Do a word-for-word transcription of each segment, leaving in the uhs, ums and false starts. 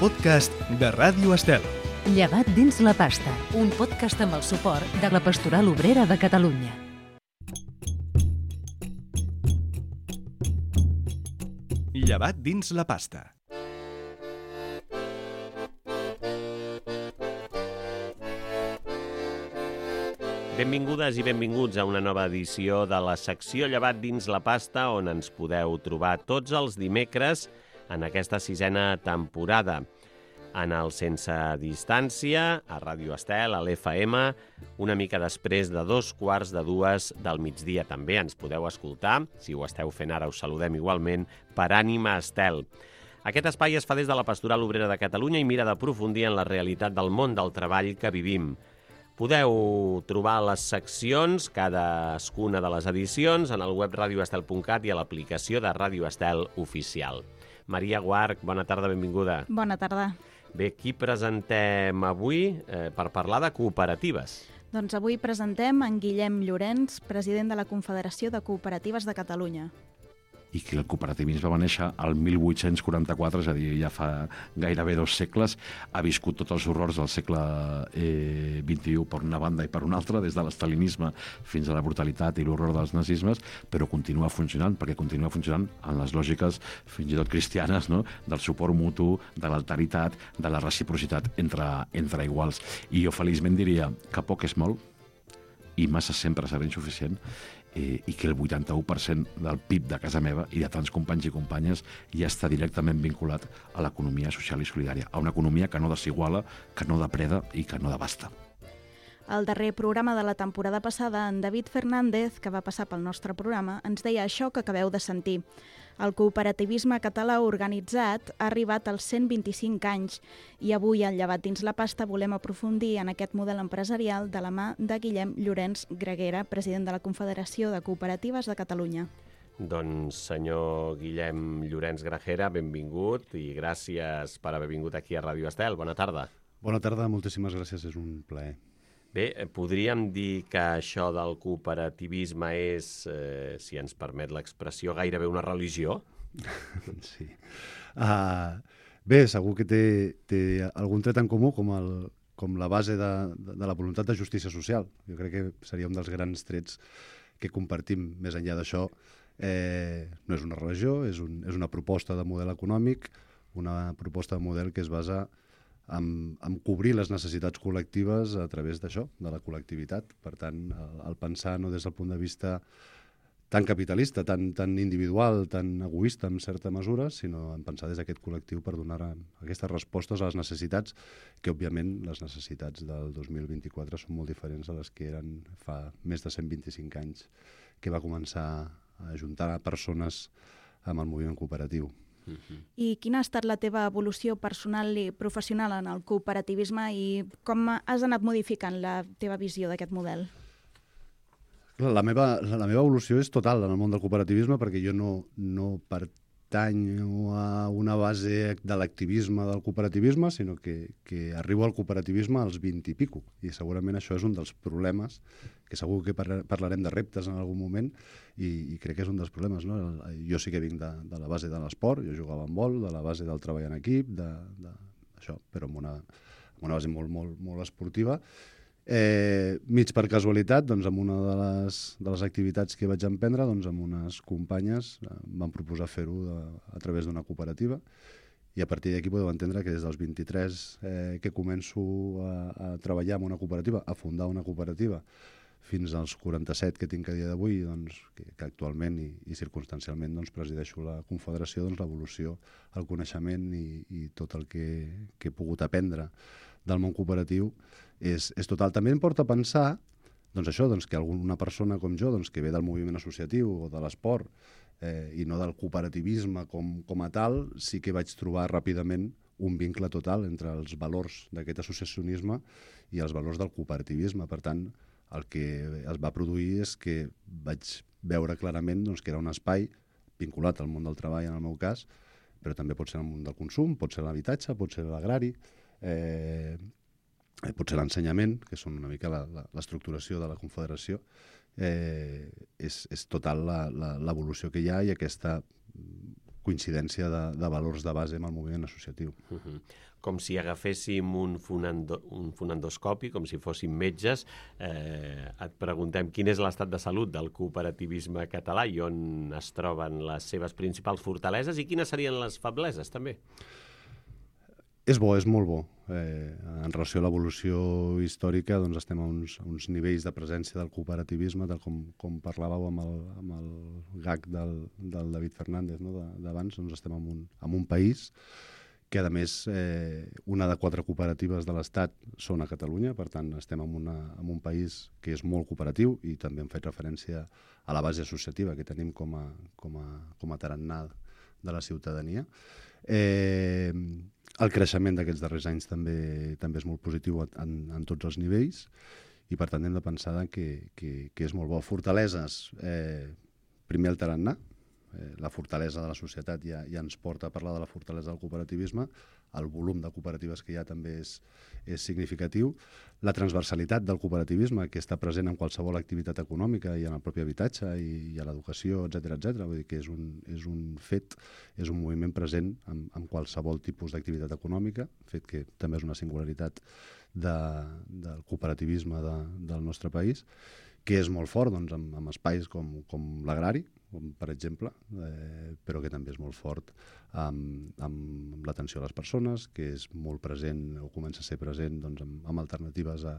podcast de Ràdio Estel. Llevat dins la pasta, un podcast amb el suport de la Pastoral Obrera de Catalunya. Llevat dins la pasta. Benvingudes i benvinguts a una nova edició de la secció Llevat dins la pasta, on ens podeu trobar tots els dimecres en aquesta sisena temporada. En el Sense Distància, a Ràdio Estel, a l'F M, una mica després de dos quarts de dues del migdia. També ens podeu escoltar, si ho esteu fent ara us saludem igualment, per Ànima Estel. Aquest espai es fa des de la Pastoral Obrera de Catalunya i mira d'aprofundir en la realitat del món del treball que vivim. Podeu trobar les seccions, cadascuna de les edicions, en el web radio estel punt cat i a l'aplicació de Ràdio Estel Oficial. Maria Guarch, bona tarda, benvinguda. Bona tarda. Bé, qui presentem avui eh, per parlar de cooperatives? Doncs avui presentem en Guillem Llorenç, president de la Confederació de Cooperatives de Catalunya. I que el cooperativisme va néixer al mil vuit-cents quaranta-quatre, és a dir, ja fa gairebé dos segles, ha viscut tots els horrors del segle eh, vint-i-u per una banda i per una altra, des de l'estalinisme fins a la brutalitat i l'horror dels nazismes, però continua funcionant, perquè continua funcionant en les lògiques fins i tot cristianes, no? Del suport mutu, de l'alteritat, de la reciprocitat entre, entre iguals. I jo feliçment diria que poc és molt i massa sempre serà insuficient, Eh, i que el vuitanta-u per cent del P I B de casa meva i de tants companys i companyes ja està directament vinculat a l'economia social i solidària, a una economia que no desiguala, que no depreda i que no devasta. Al darrer programa de la temporada passada, en David Fernández, que va passar pel nostre programa, ens deia això que acabeu de sentir. El cooperativisme català organitzat ha arribat als cent vint-i-cinc anys i avui, al Llevat dins la pasta, volem aprofundir en aquest model empresarial de la mà de Guillem Llorenç Greguera, president de la Confederació de Cooperatives de Catalunya. Doncs, senyor Guillem Llorenç Greguera, benvingut i gràcies per haver vingut aquí a Ràdio Estel. Bona tarda. Bona tarda, moltíssimes gràcies, és un plaer. Bé, podríem dir que això del cooperativisme és, eh, si ens permet l'expressió, gairebé una religió? Sí. Uh, bé, segur que té, té algun tret en comú com, el, com la base de, de, de la voluntat de justícia social. Jo crec que seria un dels grans trets que compartim. Més enllà d'això, eh, no és una religió, és, un, és una proposta de model econòmic, una proposta de model que es basa en, en cobrir les necessitats col·lectives a través d'això, de la col·lectivitat. Per tant, el, el pensar no des del punt de vista tan capitalista, tan, tan individual, tan egoista en certa mesura, sinó en pensar des d'aquest col·lectiu per donar aquestes respostes a les necessitats, que òbviament les necessitats del dos mil vint-i-quatre són molt diferents a les que eren fa més de cent vint-i-cinc anys, que va començar a ajuntar persones amb el moviment cooperatiu. I quina ha estat la teva evolució personal i professional en el cooperativisme i com has anat modificant la teva visió d'aquest model? La meva, la meva evolució és total en el món del cooperativisme perquè jo no, no pertanyo a una base de l'activisme del cooperativisme, sinó que, que arribo al cooperativisme als vint i pico. I segurament això és un dels problemes, que segur que parlarem de reptes en algun moment, i, i crec que és un dels problemes. No? Jo sí que vinc de, de la base de l'esport, jo jugava en vol, de la base del treball en equip, de, de, això, però amb una, amb una base molt, molt, molt esportiva. Eh, mig per casualitat, doncs, amb una de les, de les activitats que vaig emprendre, doncs, amb unes companyes eh, em van proposar fer-ho a través d'una cooperativa, i a partir d'aquí podeu entendre que des dels vint-i-tres eh, que començo a, a treballar en una cooperativa, a fundar una cooperativa, fins als quaranta-set que tinc a dia d'avui, doncs, que, que actualment i, i circumstancialment doncs, presideixo la Confederació, doncs, l'evolució, el coneixement i, i tot el que, que he pogut aprendre del món cooperatiu és, és total. També em porta a pensar doncs això, doncs, que alguna persona com jo, doncs, que ve del moviment associatiu o de l'esport eh, i no del cooperativisme com, com a tal, sí que vaig trobar ràpidament un vincle total entre els valors d'aquest associacionisme i els valors del cooperativisme. Per tant, el que es va produir és que vaig veure clarament doncs, que era un espai vinculat al món del treball, en el meu cas, però també pot ser el món del consum, pot ser l'habitatge, pot ser l'agrari, eh, pot ser l'ensenyament, que són una mica l'estructuració de la Confederació. Eh, és, és total l'evolució que hi ha i aquesta coincidència de, de valors de base amb el moviment associatiu. Uh-huh. Com si agaféssim un, fonendo, un fonendoscopi, com si fóssim metges, eh, et preguntem quin és l'estat de salut del cooperativisme català i on es troben les seves principals fortaleses i quines serien les febleses, també. És bo, és molt bo. Eh, en relació a l'evolució històrica, doncs estem a uns, a uns nivells de presència del cooperativisme, tal com, com parlàveu amb el, amb el gag del, del David Fernández, no? d'abans, doncs estem en un, en un país que, a més, eh, una de quatre cooperatives de l'Estat són a Catalunya, per tant, estem en, una, en un país que és molt cooperatiu i també hem fet referència a la base associativa que tenim com a, com a, com a tarannà de la ciutadania. Eh, el creixement d'aquests darrers anys també també és molt positiu en, en tots els nivells i, per tant, hem de pensar que, que, que és molt bo. Fortaleses, eh, primer el tarannà. Eh, la fortalesa de la societat ja, ja ens porta a parlar de la fortalesa del cooperativisme, el volum de cooperatives que hi ha també és, és significatiu, la transversalitat del cooperativisme, que està present en qualsevol activitat econòmica i en el propi habitatge i, i a l'educació, etcètera, etcètera. Vull dir que és un, és un fet, és un moviment present en, en qualsevol tipus d'activitat econòmica, fet que també és una singularitat de, del cooperativisme de, del nostre país, que és molt fort doncs, amb, amb espais com, com l'agrari, com per exemple, eh, però que també és molt fort amb, amb l'atenció a les persones, que és molt present o comença a ser present doncs, amb, amb alternatives a,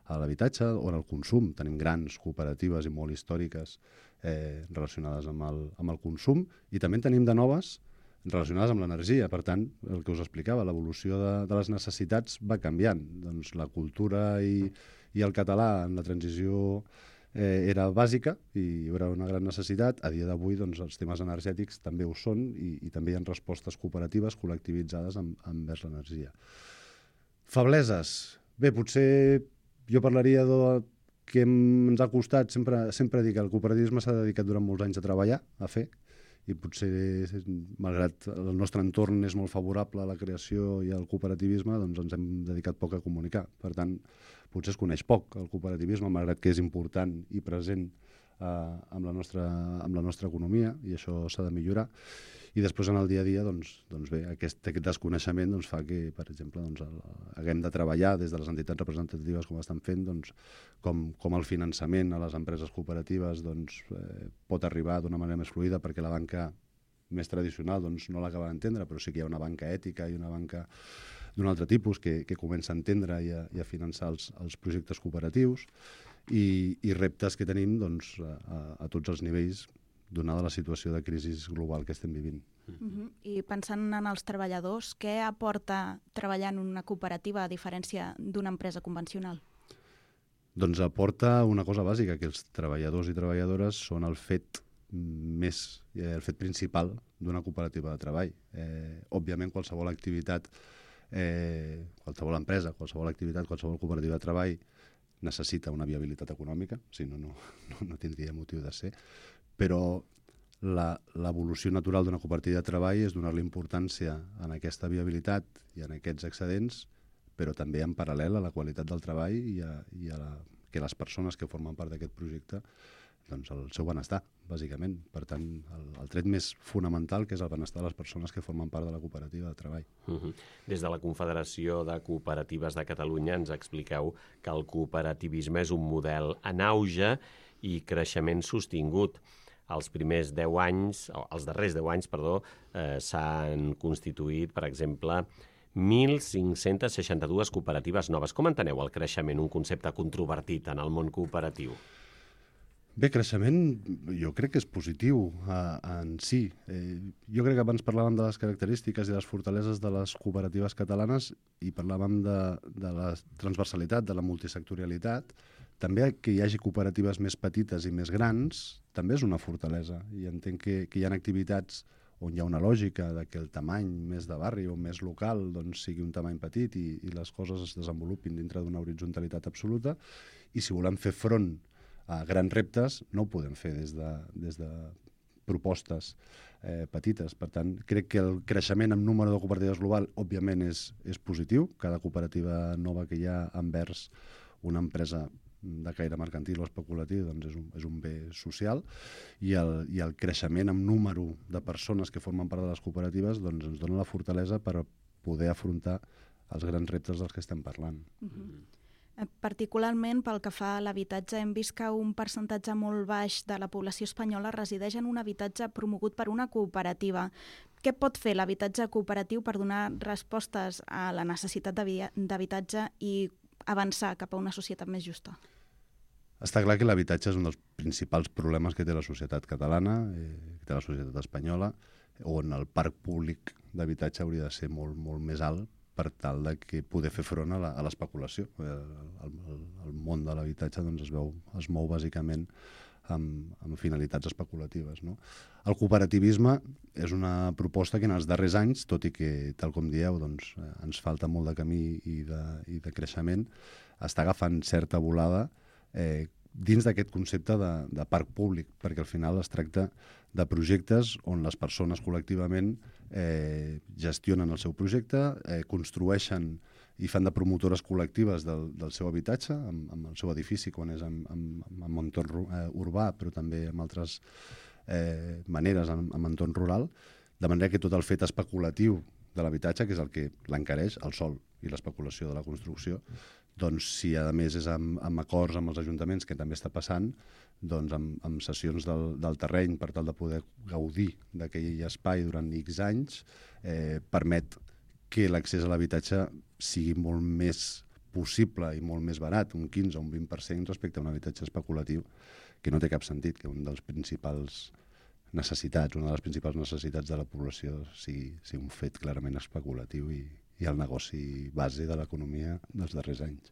a l'habitatge o en el consum. Tenim grans cooperatives i molt històriques eh, relacionades amb el, amb el consum i també en tenim de noves relacionades amb l'energia. Per tant, el que us explicava, l'evolució de, de les necessitats va canviant. Doncs la cultura i, i el català en la transició eh, era bàsica i hi haurà una gran necessitat. A dia d'avui doncs, els temes energètics també ho són i, i també hi ha respostes cooperatives col·lectivitzades amb, envers l'energia. Febleses. Bé, potser jo parlaria de que ens ha costat, sempre, sempre dir que el cooperativisme s'ha dedicat durant molts anys a treballar, a fer, i potser, malgrat el nostre entorn és molt favorable a la creació i al cooperativisme, doncs ens hem dedicat poc a comunicar. Per tant, potser es coneix poc el cooperativisme, malgrat que és important i present eh, amb, la nostra, amb la nostra economia, i això s'ha de millorar. I després, en el dia a dia, doncs, doncs bé, aquest, aquest desconeixement doncs, fa que, per exemple, doncs, el, haguem de treballar des de les entitats representatives com estan fent, doncs, com, com el finançament a les empreses cooperatives doncs, eh, pot arribar d'una manera més fluida, perquè la banca més tradicional doncs, no l'acaba d'entendre, però sí que hi ha una banca ètica i una banca d'un altre tipus que, que comença a entendre i a, i a finançar els, els projectes cooperatius i, i reptes que tenim doncs, a, a tots els nivells, donada la situació de crisi global que estem vivint. Uh-huh. I pensant en els treballadors, què aporta treballar en una cooperativa a diferència d'una empresa convencional? Doncs aporta una cosa bàsica, que els treballadors i treballadores són el fet més, el fet principal d'una cooperativa de treball. Eh, òbviament, qualsevol activitat, eh, qualsevol empresa, qualsevol activitat, qualsevol cooperativa de treball necessita una viabilitat econòmica, si no, no, no, no tindria motiu de ser, però l'evolució natural d'una cooperativa de treball és donar-li importància en aquesta viabilitat i en aquests excedents, però també en paral·lel a la qualitat del treball i a, i a la, que les persones que formen part d'aquest projecte, doncs el seu benestar, bàsicament. Per tant, el, el tret més fonamental, que és el benestar de les persones que formen part de la cooperativa de treball. Uh-huh. Des de la Confederació de Cooperatives de Catalunya ens expliqueu que el cooperativisme és un model en auge i creixement sostingut. Els primers deu anys, o els darrers deu anys, perdó, eh, s'han constituït, per exemple, mil cinc-cents seixanta-dues cooperatives noves. Com enteneu el creixement, un concepte controvertit en el món cooperatiu? Bé, creixement jo crec que és positiu eh, en si. Eh, jo crec que abans parlàvem de les característiques i les fortaleses de les cooperatives catalanes i parlàvem de, de la transversalitat, de la multisectorialitat. També que hi hagi cooperatives més petites i més grans també és una fortalesa. I entenc que, que hi ha activitats on hi ha una lògica de que el tamany més de barri o més local doncs, sigui un tamany petit i, i les coses es desenvolupin dintre d'una horitzontalitat absoluta. I si volem fer front a grans reptes, no ho podem fer des de, des de propostes eh, petites. Per tant, crec que el creixement en número de cooperatives global, òbviament, és, és positiu. Cada cooperativa nova que hi ha envers una empresa de caire mercantil o especulatiu doncs és, un, és un bé social, i el, i el creixement en número de persones que formen part de les cooperatives doncs ens dona la fortalesa per poder afrontar els grans reptes dels que estem parlant. Uh-huh. Particularment pel que fa a l'habitatge, hem vist que un percentatge molt baix de la població espanyola resideix en un habitatge promogut per una cooperativa. Què pot fer l'habitatge cooperatiu per donar respostes a la necessitat d'habitatge i avançar cap a una societat més justa? Està clar que l'habitatge és un dels principals problemes que té la societat catalana, eh, que té la societat espanyola, on el parc públic d'habitatge hauria de ser molt, molt més alt per tal de que poder fer front a l'especulació. El, el, el món de l'habitatge doncs, es, veu, es mou bàsicament amb, amb finalitats especulatives. No? El cooperativisme és una proposta que en els darrers anys, tot i que, tal com dieu, doncs, eh, ens falta molt de camí i de, i de creixement, està agafant certa volada eh, dins d'aquest concepte de, de parc públic, perquè al final es tracta de projectes on les persones col·lectivament eh, gestionen el seu projecte, eh, construeixen i fan de promotores col·lectives del, del seu habitatge, amb, amb el seu edifici, quan és en, en, en entorn eh, urbà, però també amb altres eh, maneres en, en entorn rural, de manera que tot el fet especulatiu de l'habitatge, que és el que l'encareix, el sòl i l'especulació de la construcció, doncs si a més és amb, amb acords amb els ajuntaments, que també està passant, doncs amb, amb sessions del, del terreny per tal de poder gaudir d'aquell espai durant X anys, eh, permet que l'accés a l'habitatge sigui molt més possible i molt més barat, un quinze o un vint per cent respecte a un habitatge especulatiu, que no té cap sentit que un dels principals necessitats, una de les principals necessitats de la població sigui, sigui un fet clarament especulatiu i, i el negoci base de l'economia dels darrers anys.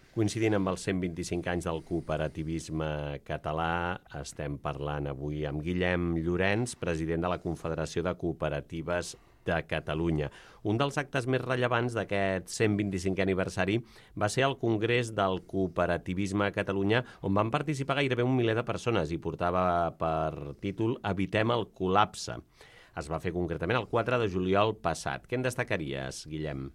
Coincidint amb els cent vint-i-cinc anys del cooperativisme català, estem parlant avui amb Guillem Llorenç, president de la Confederació de Cooperatives de Catalunya. Un dels actes més rellevants d'aquest cent vint-i-cinquè aniversari va ser el Congrés del Cooperativisme a Catalunya, on van participar gairebé un miler de persones i portava per títol Evitem el col·lapse. Es va fer concretament el quatre de juliol passat. Què en destacaries, Guillem?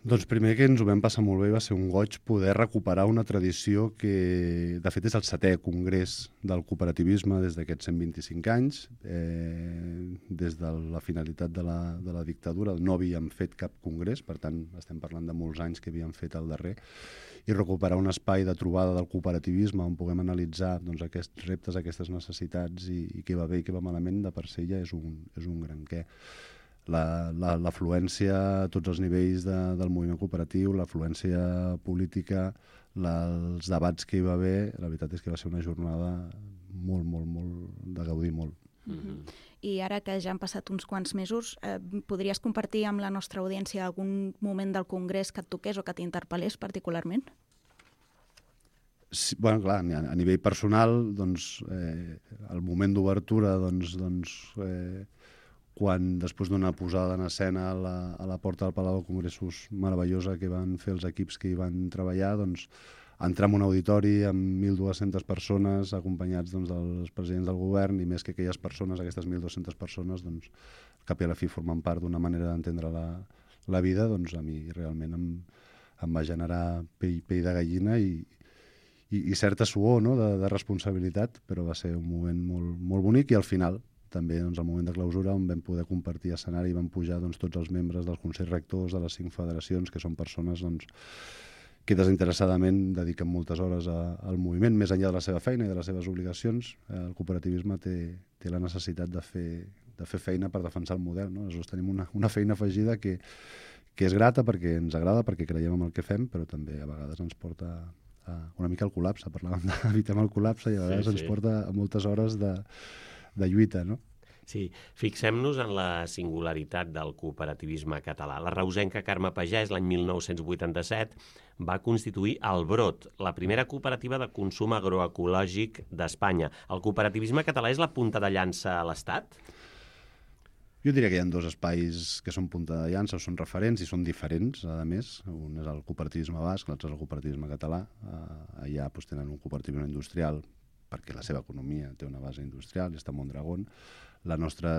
Doncs primer que ens ho vam passar molt bé, va ser un goig poder recuperar una tradició que, de fet, és el setè congrés del cooperativisme des d'aquests cent vint-i-cinc anys. Eh, des de la finalitat de la, de la dictadura no havíem fet cap congrés, per tant, estem parlant de molts anys que havíem fet el darrer, i recuperar un espai de trobada del cooperativisme on puguem analitzar doncs, aquests reptes, aquestes necessitats i, i què va bé i què va malament, de per si ja és un, és un gran què. L'afluència a tots els nivells de, del moviment cooperatiu, l'afluència política, la, els debats que hi va haver, la veritat és que va ser una jornada molt, molt, molt, de gaudir molt. Mm-hmm. I ara que ja han passat uns quants mesos, eh, podries compartir amb la nostra audiència algun moment del congrés que et toqués o que t'interpel·lés particularment? Sí, bueno, clar, a, a nivell personal, doncs, eh, el moment d'obertura, doncs, doncs eh, quan després d'una posada en escena a la, a la porta del Palau de Congressos meravellosa que van fer els equips que hi van treballar, doncs, entrar en un auditori amb mil dues-centes persones acompanyats doncs, dels presidents del govern, i més que aquelles persones, aquestes mil dues-centes persones, doncs, cap i a la fi formen part d'una manera d'entendre la, la vida, doncs a mi realment em, em va generar pell, pell de gallina i, i, i certa suor, no?, de, de responsabilitat, però va ser un moment molt, molt bonic, i al final també doncs, el moment de clausura on vam poder compartir escenari i van pujar doncs, tots els membres dels consells rectors de les cinc federacions, que són persones doncs, que desinteressadament dediquen moltes hores a, al moviment, més enllà de la seva feina i de les seves obligacions. El cooperativisme té, té la necessitat de fer, de fer feina per defensar el model. No? Aleshores tenim una, una feina afegida que, que és grata perquè ens agrada, perquè creiem en el que fem, però també a vegades ens porta a, una mica al col·lapse. Parlàvem d'evitar el col·lapse i a vegades sí, sí. ens porta a moltes hores de de lluita, no? Sí, fixem-nos en la singularitat del cooperativisme català. La reusenca Carme Pagès, l'any mil nou-cents vuitanta-set, va constituir el Brot, la primera cooperativa de consum agroecològic d'Espanya. El cooperativisme català és la punta de llança a l'Estat? Jo diria que hi ha dos espais que són punta de llança, són referents i són diferents, a més. Un és el cooperativisme basc, l'altre és el cooperativisme català. Allà doncs, tenen un cooperativisme industrial, perquè la seva economia té una base industrial, i està a Mondragón. La nostra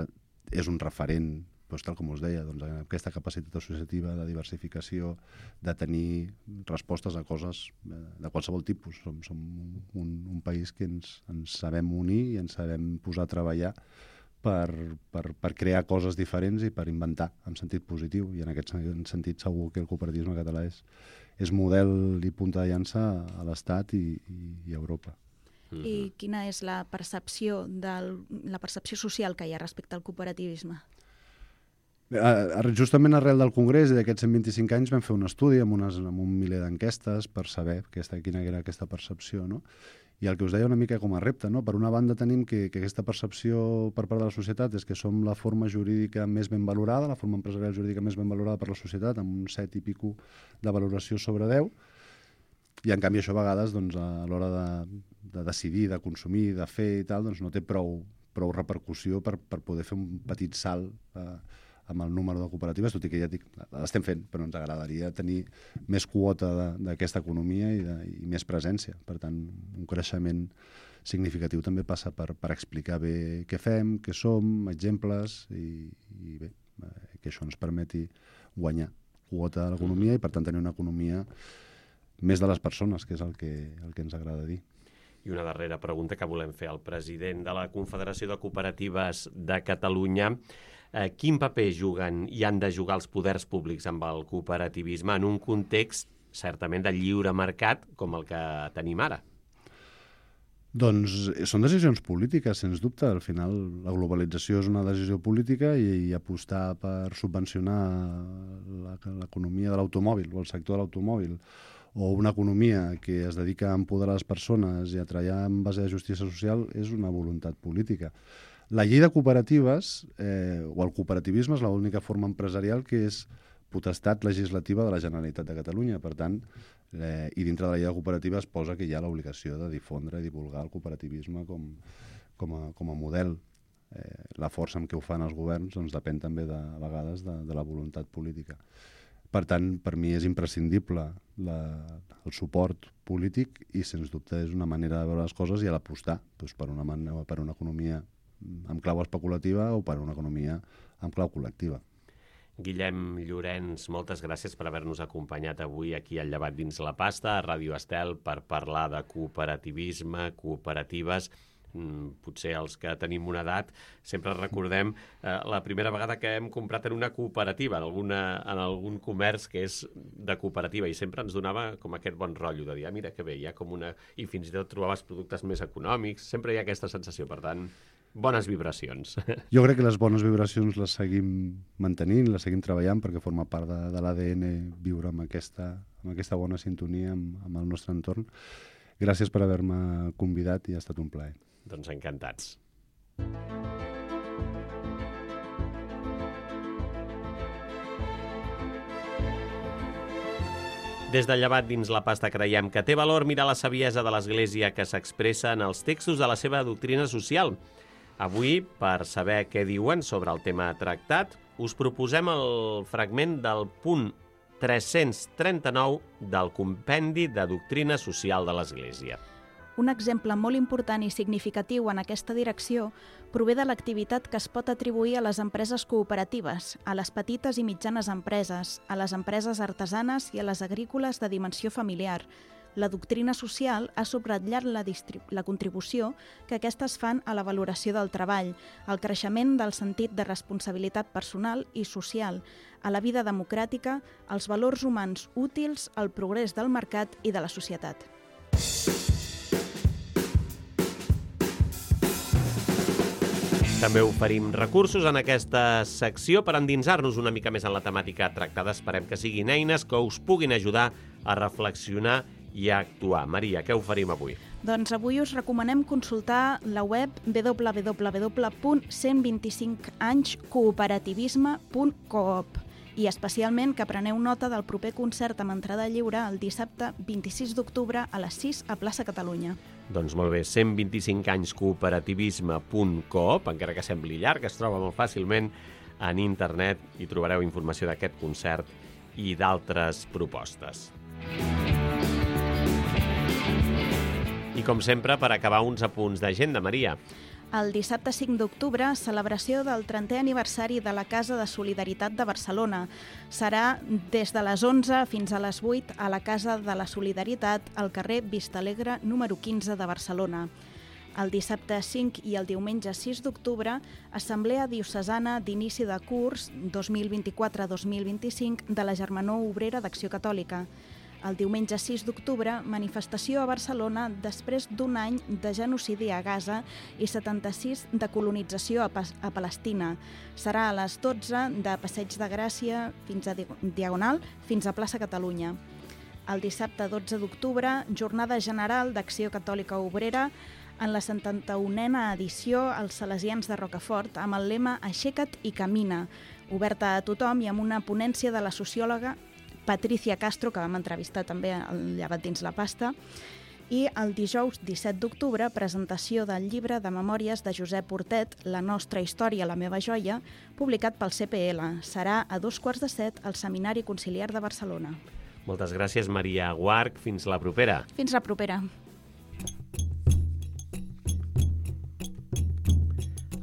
és un referent doncs, tal com us deia, doncs, aquesta capacitat associativa de diversificació, de tenir respostes a coses de qualsevol tipus. Som, som un, un país que ens, ens sabem unir i ens sabem posar a treballar per, per, per crear coses diferents i per inventar en sentit positiu. I en aquest sentit segur que el cooperativisme català és, és model i punta de llança a l'Estat i, i, i a Europa. I quina és la percepció, del, la percepció social que hi ha respecte al cooperativisme? Justament arrel del Congrés i d'aquests cent vint-i-cinc anys vam fer un estudi amb, unes, amb un miler d'enquestes per saber aquesta, quina era aquesta percepció, no? I el que us deia una mica com a repte, no? Per una banda tenim que, que aquesta percepció per part de la societat és que som la forma jurídica més ben valorada, la forma empresarial jurídica més ben valorada per la societat, amb un set i pico de valoració sobre deu, i en canvi això a vegades doncs, a l'hora de, de decidir, de consumir, de fer i tal, doncs no té prou, prou repercussió per, per poder fer un petit salt eh, amb el número de cooperatives, tot i que ja dic, l'estem fent, però ens agradaria tenir més quota d'aquesta economia i, de, i més presència. Per tant, un creixement significatiu també passa per, per explicar bé què fem, què som, exemples, i, i bé, que això ens permeti guanyar quota de l'economia i per tant tenir una economia més de les persones, que és el que, el que ens agrada dir. I una darrera pregunta que volem fer al president de la Confederació de Cooperatives de Catalunya. Eh, quin paper juguen i han de jugar els poders públics amb el cooperativisme en un context certament de lliure mercat com el que tenim ara? Doncs són decisions polítiques, sens dubte. Al final la globalització és una decisió política i, i apostar per subvencionar l'economia de l'automòbil o el sector de l'automòbil o una economia que es dedica a empoderar les persones i a treballar en base de justícia social és una voluntat política. La llei de cooperatives eh, o el cooperativisme és l'única forma empresarial que és potestat legislativa de la Generalitat de Catalunya. Per tant, eh, i dintre de la llei de cooperatives posa que hi ha l'obligació de difondre i divulgar el cooperativisme com, com, a, com a model. Eh, la força amb què ho fan els governs doncs, depèn també de, a vegades de, de la voluntat política. Per tant, per mi és imprescindible la, el suport polític i, sens dubte, és una manera de veure les coses i a l'apostar doncs, per, una per una economia amb clau especulativa o per una economia amb clau col·lectiva. Guillem Llorenç, moltes gràcies per haver-nos acompanyat avui aquí al Llevat dins la pasta, a Ràdio Estel, per parlar de cooperativisme, cooperatives. Potser els que tenim una edat sempre recordem eh, la primera vegada que hem comprat en una cooperativa, en, alguna, en algun comerç que és de cooperativa, i sempre ens donava com aquest bon rotllo de dir, ah, mira que bé, hi ha com una... i fins i tot trobaves productes més econòmics, sempre hi ha aquesta sensació, per tant, bones vibracions. Jo crec que les bones vibracions les seguim mantenint, les seguim treballant perquè forma part de, de l'A D N viure amb aquesta, amb aquesta bona sintonia amb, amb el nostre entorn. Gràcies per haver-me convidat i ha estat un plaer. Doncs encantats. Des del Llevat dins la pasta creiem que té valor mirar la saviesa de l'Església que s'expressa en els textos de la seva doctrina social. Avui, per saber què diuen sobre el tema tractat, us proposem el fragment del punt tres-cents trenta-nou del Compendi de Doctrina Social de l'Església. Un exemple molt important i significatiu en aquesta direcció prové de l'activitat que es pot atribuir a les empreses cooperatives, a les petites i mitjanes empreses, a les empreses artesanes i a les agrícoles de dimensió familiar. La doctrina social ha subratllat la, la contribució que aquestes fan a la valoració del treball, al creixement del sentit de responsabilitat personal i social, a la vida democràtica, als valors humans útils, al progrés del mercat i de la societat. També oferim recursos en aquesta secció per endinsar-nos una mica més en la temàtica tractada. Esperem que siguin eines que us puguin ajudar a reflexionar i a actuar. Maria, què oferim avui? Doncs avui us recomanem consultar la web w w w punt cent vint-i-cinc anys cooperativisme punt coop i especialment que preneu nota del proper concert amb entrada lliure el dissabte vint-i-sis d'octubre a les sis a Plaça Catalunya. Doncs molt bé, cent vint-i-cinc anys cooperativisme punt coop, encara que sembli llarg, es troba molt fàcilment en internet i trobareu informació d'aquest concert i d'altres propostes. I com sempre, per acabar, uns apunts d'agenda, Maria. El dissabte cinc d'octubre, celebració del trentè aniversari de la Casa de Solidaritat de Barcelona. Serà des de les onze fins a les vuit a la Casa de la Solidaritat, al carrer Vistalegre número quinze de Barcelona. El dissabte cinc i el diumenge sis d'octubre, Assemblea Diocesana d'Inici de Curs dos mil vint-i-quatre dos mil vint-i-cinc de la Germanor Obrera d'Acció Catòlica. El diumenge sis d'octubre, manifestació a Barcelona després d'un any de genocidi a Gaza i setanta-sis de colonització a, a Palestina. Serà a les dotze de Passeig de Gràcia fins a Diagonal fins a Plaça Catalunya. El dissabte dotze d'octubre, Jornada General d'Acció Catòlica Obrera en la setanta-unena edició als Salesians de Rocafort amb el lema Aixeca't i camina, oberta a tothom i amb una ponència de la sociòloga Patricia Castro, que vam entrevistar també al Llevat dins la pasta, i el dijous disset d'octubre, presentació del llibre de memòries de Josep Portet, La nostra història, la meva joia, publicat pel C P L. Serà a dos quarts de set al Seminari Conciliar de Barcelona. Moltes gràcies, Maria Guarch. Fins la propera. Fins la propera.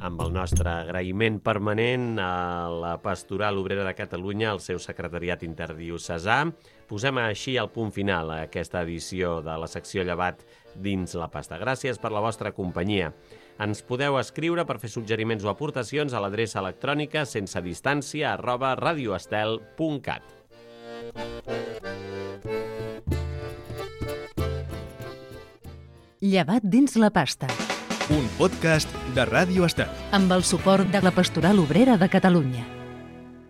Amb el nostre agraïment permanent a la Pastoral Obrera de Catalunya, al seu secretariat interdiocesà, posem així el punt final a aquesta edició de la secció Llevat dins la pasta. Gràcies per la vostra companyia. Ens podeu escriure per fer suggeriments o aportacions a l'adreça electrònica sense distància arroba radioestel punt cat. Llevat dins la pasta. Un podcast de Ràdio Estel. Amb el suport de la Pastoral Obrera de Catalunya.